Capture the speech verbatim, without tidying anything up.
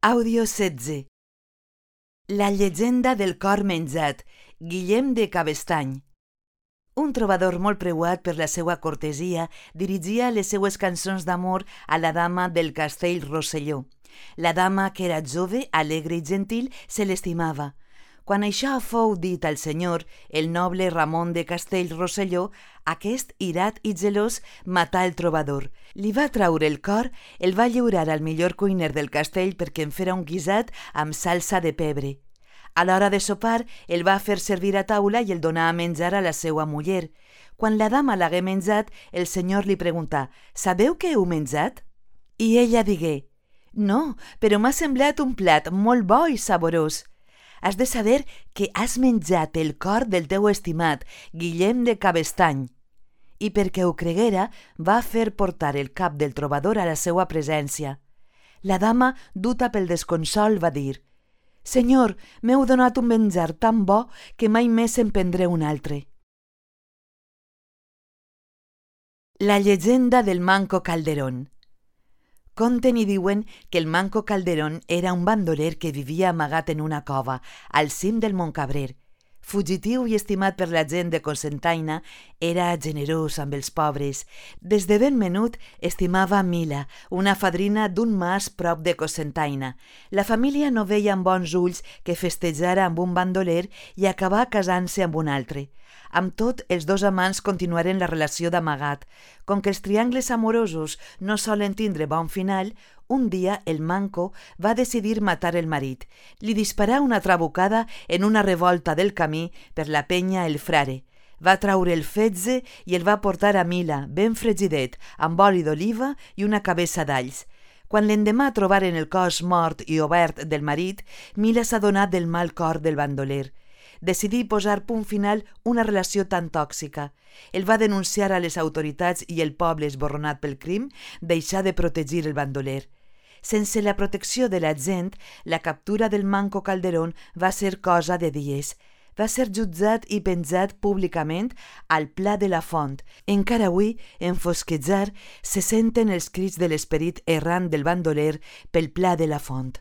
Àudio setze. La llegenda del cor menjat, Guillem de Cabestany. Un trobador molt preuat per la seva cortesia dirigia les seues cançons d'amor a la dama del castell Rosselló. La dama, que era jove, alegre i gentil, se l'estimava. Quan això fou dit al senyor, el noble Ramon de Castell Rosselló, aquest, irat i gelós, matà el trobador. Li va traure el cor, el va lliurar al millor cuiner del castell perquè en fera un guisat amb salsa de pebre. A l'hora de sopar, el va fer servir a taula i el donà a menjar a la seua muller. Quan la dama l'hagué menjat, el senyor li preguntà: «Sabeu què heu menjat?» I ella digué: «No, però m'ha semblat un plat molt bo i saborós. Has de saber que has menjat el cor del teu estimat, Guillem de Cabestany». I perquè ho creguera, va fer portar el cap del trobador a la seua presència. La dama, duta pel desconsol, va dir: «Senyor, m'heu donat un menjar tan bo que mai més en prendré un altre». La llegenda del Manco Calderón. Conten i diuen que el Manco Calderón era un bandoler que vivia amagat en una cova, al cim del Montcabrer. Fugitiu i estimat per la gent de Cocentaina, era generós amb els pobres. Des de ben menut estimava Mila, una fadrina d'un mas prop de Cocentaina. La família no veia amb bons ulls que festejara amb un bandoler i acabà casant-se amb un altre. Amb tot, els dos amants continuaren la relació d'amagat. Com que els triangles amorosos no solen tindre bon final, un dia el Manco va decidir matar el marit. Li disparà una trabucada en una revolta del camí per la penya El Frare. Va traure el fetge i el va portar a Mila, ben fregidet, amb oli d'oliva i una cabeça d'alls. Quan l'endemà trobaren el cos mort i obert del marit, Mila s'adonà del mal cor del bandoler. Decidí posar punt final una relació tan tòxica. El va denunciar a les autoritats i el poble, esborronat pel crim, deixà de protegir el bandoler. Sense la protecció de la gent, la captura del Manco Calderón va ser cosa de dies. Va ser jutjat i penjat públicament al Pla de la Font. Encara avui, en fosquejar, se senten els crits de l'esperit errant del bandoler pel Pla de la Font.